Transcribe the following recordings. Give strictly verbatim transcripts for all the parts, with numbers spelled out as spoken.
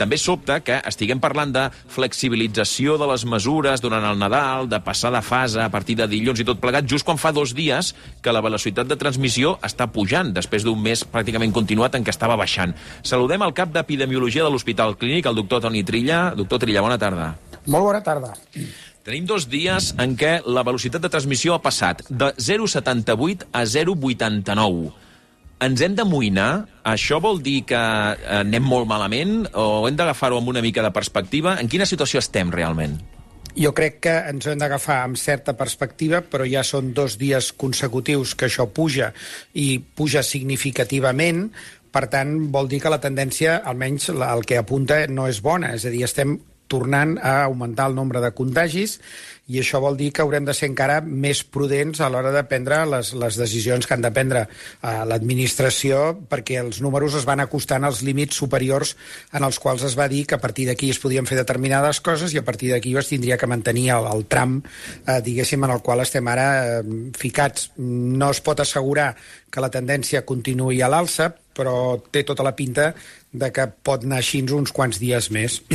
també sobta que estiguem parlant de flexibilització de les mesures durant el Nadal, de passar de fase a partir de dilluns i tot plegat, just quan fa dos dies que la velocitat de transmissió està pujant, després d'un mes pràcticament continuat en què estava baixant. Saludem el cap d'Epidemiologia de l'Hospital Clínic, el doctor Toni Trilla. Doctor Trilla, bona tarda. Molt bona tarda. Tenim dos dies en què la velocitat de transmissió ha passat de zero coma setanta-vuit a zero coma vuitanta-nou. Ens hem d'amoïnar? Això vol dir que anem molt malament o hem d'agafar-ho amb una mica de perspectiva? En quina situació estem realment? Jo crec que ens hem d'agafar amb certa perspectiva, però ja són dos dies consecutius que això puja i puja significativament. Per tant, vol dir que la tendència, almenys el que apunta, no és bona. És a dir, estem tornant a augmentar el nombre de contagis i això vol dir que haurem de ser encara més prudents a l'hora de prendre les, les decisions que han de prendre a l'administració, perquè els números es van acostant als límits superiors en els quals es va dir que a partir d'aquí es podien fer determinades coses i a partir d'aquí es tindria que mantenir el, el tram, eh, diguéssim, en el qual estem ara eh, ficats. No es pot assegurar que la tendència continuï a l'alça, però té tota la pinta de que pot anar així uns quants dies més.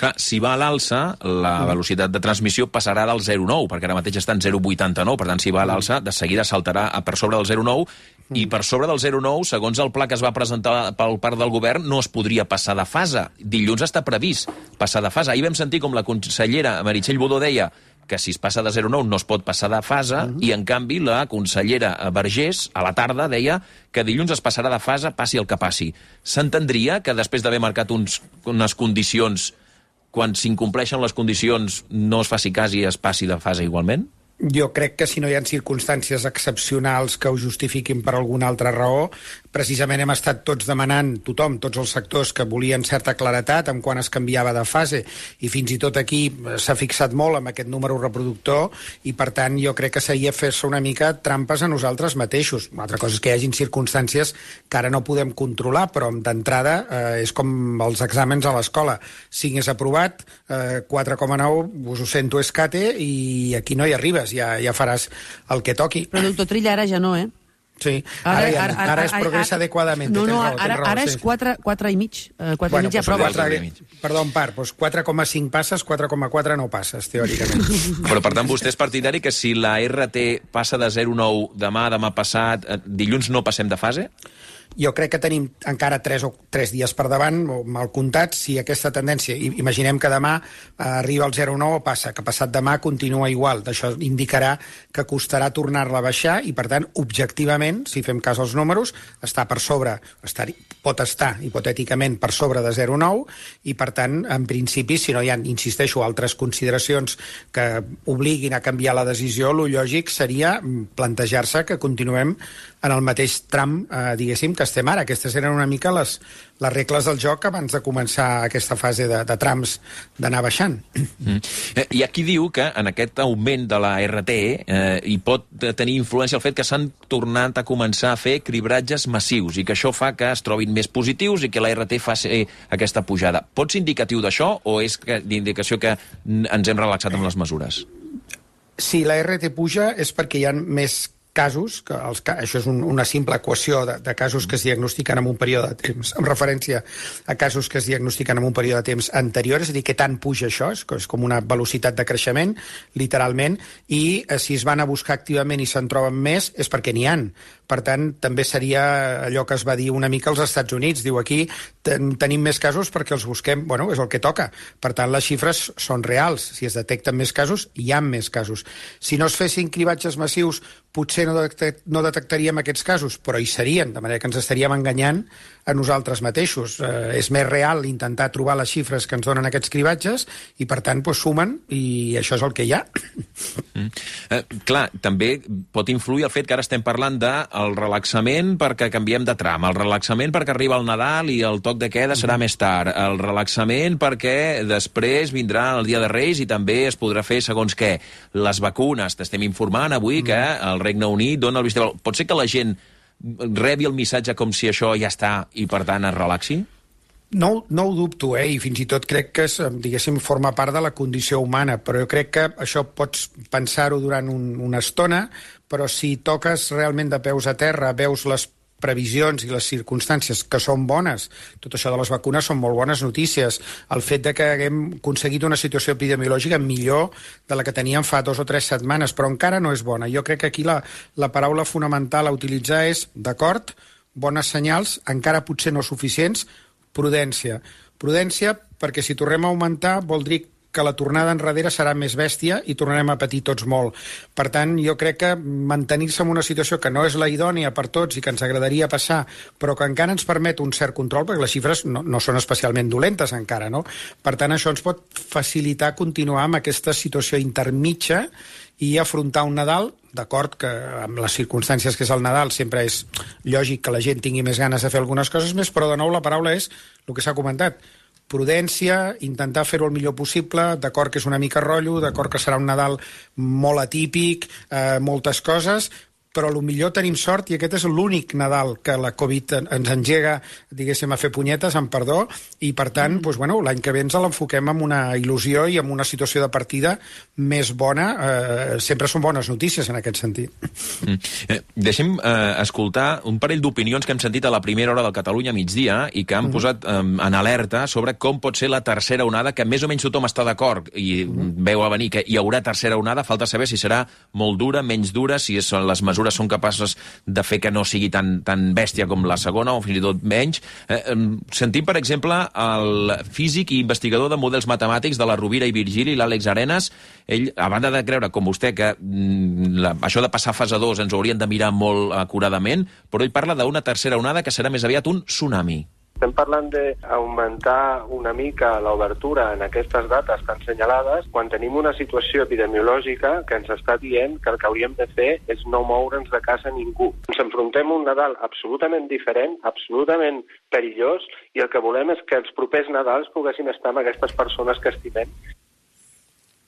Clar, si va a l'alça, la velocitat de transmissió passarà del zero coma nou, perquè ara mateix està en zero coma vuitanta-nou, per tant, si va a l'alça, de seguida saltarà per sobre del zero coma nou, i per sobre del zero coma nou, segons el pla que es va presentar pel part del govern, no es podria passar de fase. Dilluns està previst passar de fase. Ahir vam sentir com la consellera Meritxell Budó deia que si es passa de zero coma nou no es pot passar de fase, uh -huh. i en canvi la consellera Vergés a la tarda deia que dilluns es passarà de fase, passi el que passi. S'entendria que després d'haver marcat uns, unes condicions, quan s'incompleixen les condicions no es faci cas i es passi de fase igualment? Jo crec que si no hi ha circumstàncies excepcionals que ho justifiquin per alguna altra raó, precisament hem estat tots demanant, tothom, tots els sectors, que volien certa claretat en quan es canviava de fase, i fins i tot aquí s'ha fixat molt amb aquest número reproductor, i per tant jo crec que seria fer-se una mica trampes a nosaltres mateixos. Una altra cosa és que hi hagin circumstàncies que ara no podem controlar, però d'entrada eh, és com els exàmens a l'escola. cinc és aprovat, eh, quatre coma nou, us ho sento, és cate, i aquí no hi arribes. Ja, ja faràs el que toqui. Però, doctor Trilla, ara ja no, eh? Sí, ara, ara, ja, ara, ara, ara es progressa ara, adequadament. No, no, raó, ara, raó, ara sí. és quatre i mig. quatre bueno, i mig ja pues prova. quatre, perdó, en part, doncs quatre coma cinc passes, quatre coma quatre no passes, teòricament. Però, per tant, vostè és partidari que si la R T passa de zero coma nou demà, demà passat, dilluns no passem de fase? Jo crec que tenim encara tres, o, tres dies per davant, o mal comptats, si aquesta tendència, imaginem que demà eh, arriba al zero coma nou o passa, que passat demà continua igual. Això indicarà que costarà tornar-la a baixar i, per tant, objectivament, si fem cas als números, està per sobre, estar, pot estar hipotèticament per sobre de zero coma nou i, per tant, en principi, si no hi ha, insisteixo, altres consideracions que obliguin a canviar la decisió, lo lògic seria plantejar-se que continuem en el mateix tram, eh, diguéssim, que estem ara. Aquestes eren una mica les, les regles del joc abans de començar aquesta fase de, de trams d'anar baixant. Mm. Hi ha qui diu que en aquest augment de la R T eh, hi pot tenir influència el fet que s'han tornat a començar a fer cribratges massius i que això fa que es trobin més positius i que la R T faci aquesta pujada. Pot ser indicatiu d'això o és d'indicació que ens hem relaxat amb les mesures? Si la R T puja és perquè hi ha més casos, que els, això és un, una simple equació de, de casos que es diagnostiquen en un període de temps, en referència a casos que es diagnostiquen en un període de temps anterior, és a dir, que tant puja això, és, és com una velocitat de creixement, literalment, i eh, si es van a buscar activament i se'n troben més, és perquè n'hi han. Per tant, també seria allò que es va dir una mica als Estats Units. Diu, aquí ten, tenim més casos perquè els busquem, bueno, és el que toca. Per tant, les xifres són reals. Si es detecten més casos, hi ha més casos. Si no es fessin cribatges massius, potser no, detect, no detectaríem aquests casos, però hi serien, de manera que ens estaríem enganyant a nosaltres mateixos. Eh, és més real intentar trobar les xifres que ens donen aquests cribatges i, per tant, pues, sumen i això és el que hi ha. Mm. Eh, clar, també pot influir el fet que ara estem parlant del relaxament perquè canviem de tram, el relaxament perquè arriba el Nadal i el toc de queda serà més tard, el relaxament perquè després vindrà el Dia de Reis i també es podrà fer segons què. Les vacunes, t'estem informant avui que el Regne Unit dona el vistiplau. Pot ser que la gent rebi el missatge com si això ja està i, per tant, es relaxi? No, no ho dubto, eh? I fins i tot crec que, és, diguéssim, forma part de la condició humana, però jo crec que això pots pensar-ho durant un, una estona, però si toques realment de peus a terra, veus les previsions i les circumstàncies que són bones, tot això de les vacunes són molt bones notícies, el fet de que haguem aconseguit una situació epidemiològica millor de la que teníem fa dos o tres setmanes, però encara no és bona. Jo crec que aquí la, la paraula fonamental a utilitzar és, d'acord, bones senyals, encara potser no suficients, prudència. Prudència perquè si tornem a augmentar vol dir que la tornada enrere serà més bèstia i tornarem a patir tots molt. Per tant, jo crec que mantenir-se en una situació que no és la idònia per tots i que ens agradaria passar, però que encara ens permet un cert control, perquè les xifres no, no són especialment dolentes encara, no? Per tant, això ens pot facilitar continuar amb aquesta situació intermitja i afrontar un Nadal, d'acord que amb les circumstàncies que és el Nadal sempre és lògic que la gent tingui més ganes de fer algunes coses més, però de nou la paraula és el que s'ha comentat, prudència, intentar fer-ho el millor possible, d'acord que és una mica rotllo, d'acord que serà un Nadal molt atípic, eh, moltes coses, però potser tenim sort i aquest és l'únic Nadal que la Covid ens engega, diguéssim, a fer punyetes, amb perdó, i per tant, mm. doncs, bueno, l'any que ve ens l'enfoquem amb una il·lusió i amb una situació de partida més bona. Eh, sempre són bones notícies en aquest sentit. Mm. Eh, deixem eh, escoltar un parell d'opinions que hem sentit a la primera hora del Catalunya migdia i que han mm. posat eh, en alerta sobre com pot ser la tercera onada, que més o menys tothom està d'acord i mm. veu a venir que hi haurà tercera onada, falta saber si serà molt dura, menys dura, si són les mesures són capaces de fer que no sigui tan, tan bèstia com la segona o fins i tot menys. Eh, sentim, per exemple, el físic i investigador de models matemàtics de la Rovira i Virgili, l'Àlex Arenas. Ell, a banda de creure, com vostè, que mm, la, això de passar a fase dos ens ho haurien de mirar molt acuradament, però ell parla d'una tercera onada que serà més aviat un tsunami. Estem parlant d'augmentar una mica l'obertura en aquestes dates tan senyalades quan tenim una situació epidemiològica que ens està dient que el que hauríem de fer és no moure'ns de casa ningú. Ens enfrontem a un Nadal absolutament diferent, absolutament perillós, i el que volem és que els propers Nadals poguessin estar amb aquestes persones que estimem.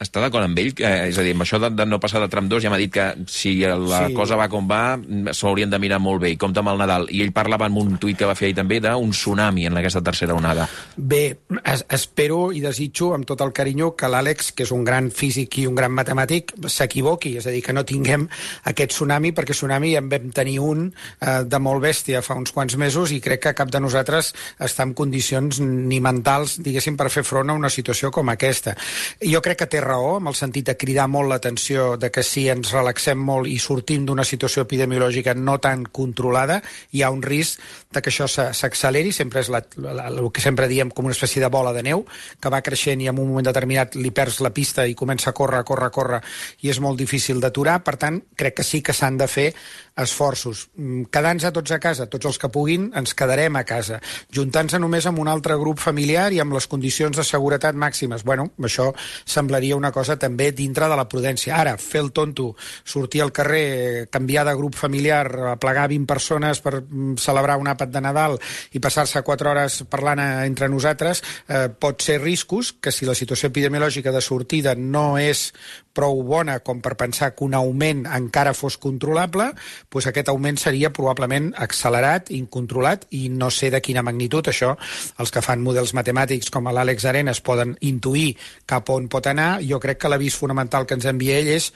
Està d'acord amb ell? Eh, és a dir, amb això de, de no passar de tram dos ja m'ha dit que si la sí. cosa va com va, s'ho haurien de mirar molt bé. I compta amb el Nadal. I ell parlava en un tuit que va fer ahir també d'un tsunami en aquesta tercera onada. Bé, es, espero i desitjo amb tot el carinyo que l'Àlex, que és un gran físic i un gran matemàtic, s'equivoqui. És a dir, que no tinguem aquest tsunami, perquè tsunami en vam tenir un eh, de molt bèstia fa uns quants mesos i crec que cap de nosaltres està en condicions ni mentals, diguéssim, per fer front a una situació com aquesta. Jo crec que té raó, amb el sentit de cridar molt l'atenció de que si ens relaxem molt i sortim d'una situació epidemiològica no tan controlada, hi ha un risc de que això s'acceleri. Sempre és la, la, el que sempre diem com una espècie de bola de neu, que va creixent i en un moment determinat li perds la pista i comença a córrer, a córrer, a córrer, i és molt difícil d'aturar. Per tant, crec que sí que s'han de fer esforços. Quedant-nos a tots a casa, tots els que puguin, ens quedarem a casa. Juntant-se només amb un altre grup familiar i amb les condicions de seguretat màximes. Bueno, això semblaria una cosa també dintre de la prudència. Ara, fer el tonto, sortir al carrer, canviar de grup familiar, plegar vint persones per celebrar un àpat de Nadal i passar-se quatre hores parlant entre nosaltres, eh, pot ser riscos que si la situació epidemiològica de sortida no és prou bona com per pensar que un augment encara fos controlable, doncs aquest augment seria probablement accelerat, incontrolat, i no sé de quina magnitud. Això, els que fan models matemàtics com l'Àlex Arenas poden intuir cap on pot anar. Jo crec que l'avís fonamental que ens envia ell és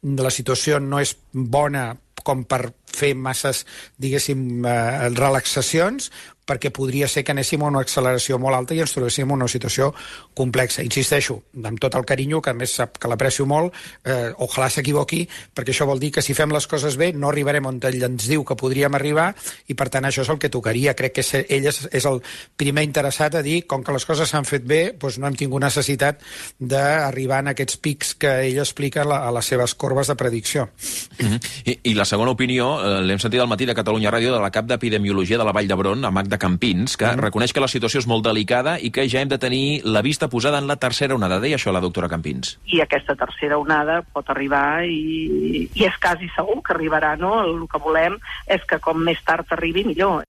la situació no és bona com per fer masses, diguéssim, eh, relaxacions, perquè podria ser que anéssim a una acceleració molt alta i ens trobéssim en una situació complexa. Insisteixo, amb tot el carinyo, que a més sap que l'aprecio molt, eh, ojalà s'equivoqui, perquè això vol dir que si fem les coses bé no arribarem on ell ens diu que podríem arribar, i per tant això és el que tocaria. Crec que ell és, és el primer interessat a dir, com que les coses s'han fet bé, doncs no hem tingut necessitat d'arribar en aquests pics que ell explica a, la, a les seves corbes de predicció. Mm-hmm. I, I la segona opinió, eh, l'hem sentit al matí de Catalunya Ràdio, de la cap d'Epidemiologia de la Vall d'Hebron, a Magda Campins, que mm. reconeix que la situació és molt delicada i que ja hem de tenir la vista posada en la tercera onada. Deia això la doctora Campins. I aquesta tercera onada pot arribar i, i és quasi segur que arribarà, no? El que volem és que com més tard arribi, millor.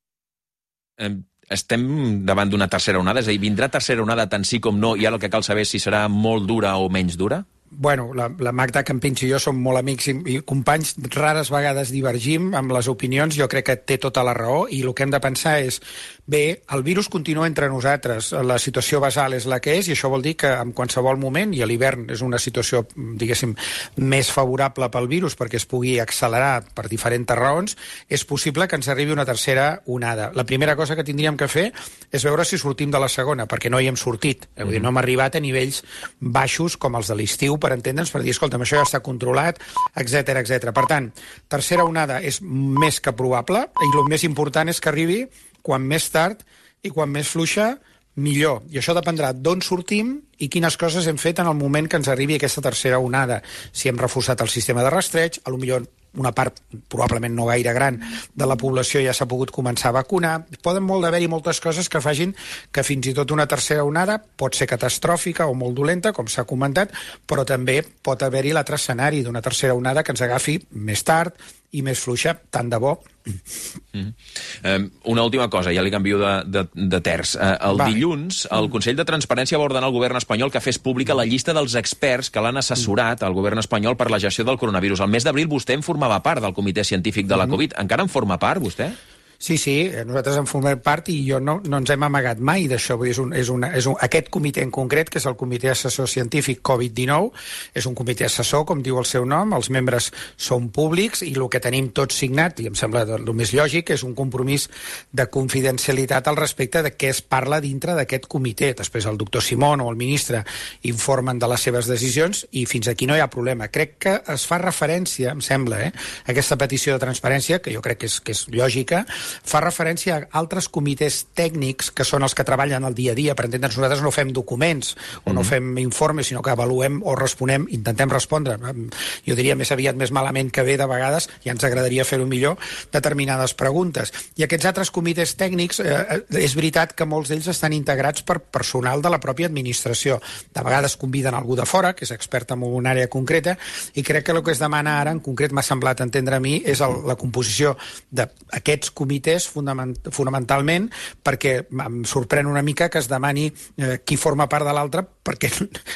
Eh, estem davant d'una tercera onada? És a dir, vindrà tercera onada tant sí com no, i ara el que cal saber és si serà molt dura o menys dura? Bueno, la, la Magda Campins i jo som molt amics i, i companys, rares vegades divergim amb les opinions. Jo crec que té tota la raó i el que hem de pensar és Bé, el virus continua entre nosaltres. La situació basal és la que és i això vol dir que en qualsevol moment, i a l'hivern és una situació, diguéssim, més favorable pel virus perquè es pugui accelerar per diferents raons, és possible que ens arribi una tercera onada. La primera cosa que tindríem que fer és veure si sortim de la segona, perquè no hi hem sortit. Mm-hmm. Vull dir, no hem arribat a nivells baixos com els de l'estiu, per entendre'ns, per dir, escolta'm, això ja està controlat, etcètera, etcètera. Per tant, tercera onada és més que probable i el més important és que arribi quan més tard i quan més fluixa, millor. I això dependrà d'on sortim i quines coses hem fet en el moment que ens arribi aquesta tercera onada. Si hem reforçat el sistema de rastreig, a lo millor una part, probablement no gaire gran, de la població ja s'ha pogut començar a vacunar. Poden molt d'haver-hi moltes coses que facin que fins i tot una tercera onada pot ser catastròfica o molt dolenta, com s'ha comentat, però també pot haver-hi l'altre escenari d'una tercera onada que ens agafi més tard i més fluixa, tant de bo. Mm. Um, una última cosa, ja li canvio de, de, de terç. Uh, el Va. dilluns, el Consell de Transparència va ordenar al govern espanyol que fes pública la llista dels experts que l'han assessorat al govern espanyol per la gestió del coronavirus. El mes d'abril vostè en formava part del comitè científic de la Covid. Encara en forma part, vostè? Sí, sí, nosaltres en formem part i jo no, no ens hem amagat mai d'això. És un, és una, és un, aquest comitè en concret, que és el Comitè Assessor Científic Covid dinou, és un comitè assessor, com diu el seu nom, els membres són públics i el que tenim tot signat, i em sembla el més lògic, és un compromís de confidencialitat al respecte de què es parla dintre d'aquest comitè. Després el doctor Simón o el ministre informen de les seves decisions i fins aquí no hi ha problema. Crec que es fa referència, em sembla, eh, a aquesta petició de transparència, que jo crec que és, que és lògica, fa referència a altres comitès tècnics que són els que treballen el dia a dia. Per entendre'ns, nosaltres no fem documents o no fem informes, sinó que avaluem o responem, intentem respondre. Jo diria més aviat més malament que bé de vegades, ja ens agradaria fer-ho millor, determinades preguntes. I aquests altres comitès tècnics, eh, és veritat que molts d'ells estan integrats per personal de la pròpia administració. De vegades conviden algú de fora, que és expert en una àrea concreta, i crec que el que es demana ara, en concret m'ha semblat entendre a mi, és el, la composició d'aquests comitès fonamentalment, perquè em sorprèn una mica que es demani eh, qui forma part de l'altre, perquè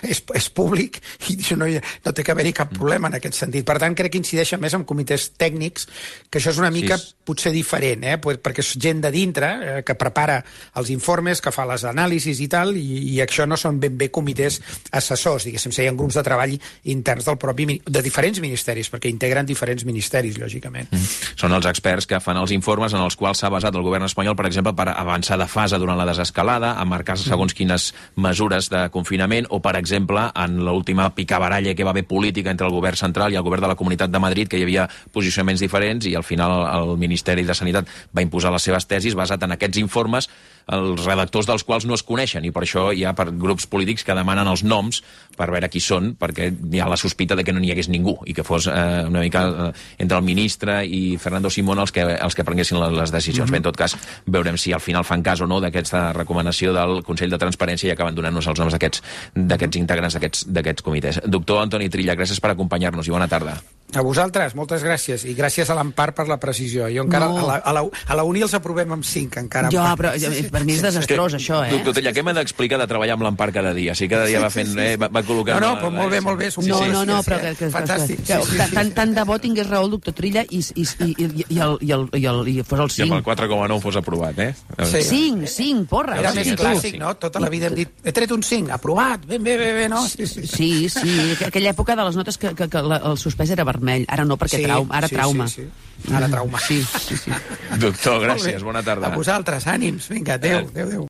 és, és públic i no, hi, no té que haver-hi cap problema en aquest sentit. Per tant, crec que incideixen més en comitès tècnics, que això és una mica sí. potser diferent, eh? perquè és gent de dintre eh, que prepara els informes, que fa les anàlisis i tal, i, i això no són ben bé comitès assessors, diguéssim, serien grups de treball interns del propi, de diferents ministeris, perquè integren diferents ministeris, lògicament. Mm. Són els experts que fan els informes en els quals s'ha basat el govern espanyol, per exemple, per avançar de fase durant la desescalada, a marcar segons quines mesures de confinament, o, per exemple, en l'última picabaralla que va haver política entre el govern central i el govern de la Comunitat de Madrid, que hi havia posicionaments diferents i al final el Ministeri de Sanitat va imposar les seves tesis basat en aquests informes, els redactors dels quals no es coneixen, i per això hi ha per grups polítics que demanen els noms per veure qui són, perquè hi ha la sospita de que no n'hi hagués ningú, i que fos eh, una mica eh, entre el ministre i Fernando Simón els que, els que prenguessin les decisions. Mm-hmm. Bé, en tot cas, veurem si al final fan cas o no d'aquesta recomanació del Consell de Transparència i acaben donant-nos els noms d'aquests integrants d'aquests comitès. Doctor Antoni Trilla, gràcies per acompanyar-nos i bona tarda. A vosaltres, moltes gràcies, i gràcies a l'Empar per la precisió. Jo encara, no. a, la, a, la, a la Uni els aprovem amb cinc, encara. Jo, però per mi és desastrós, que, això, eh? Doctor Trilla, què m'ha d'explicar de treballar amb l'Empar cada dia? Si cada dia va fent, eh, va, va col·locant... No, no, però molt bé, molt bé. No, sí, no, no, sí, però... Que, que, fantàstic. Que, que, que, tant, tant de bo tingués raó el doctor Trilla i, i, i, i, i, el, i, el, i, el, i fos el cinc. I amb el quatre coma nou fos aprovat, eh? Sí. cinc, cinc, porra. Era més clàssic, no? Tota la vida hem dit, he tret un cinc, aprovat, ben bé, bé, bé, no? Sí, sí, sí. Aquella època de les notes que, que, que el suspès era vermell, ara no, perquè sí, trauma, ara sí, trauma. Sí, sí. Ara trauma. Sí, sí, sí. Doctor, gràcies, bona tarda. A vosaltres, ànims, vinga, adéu, adéu, adéu.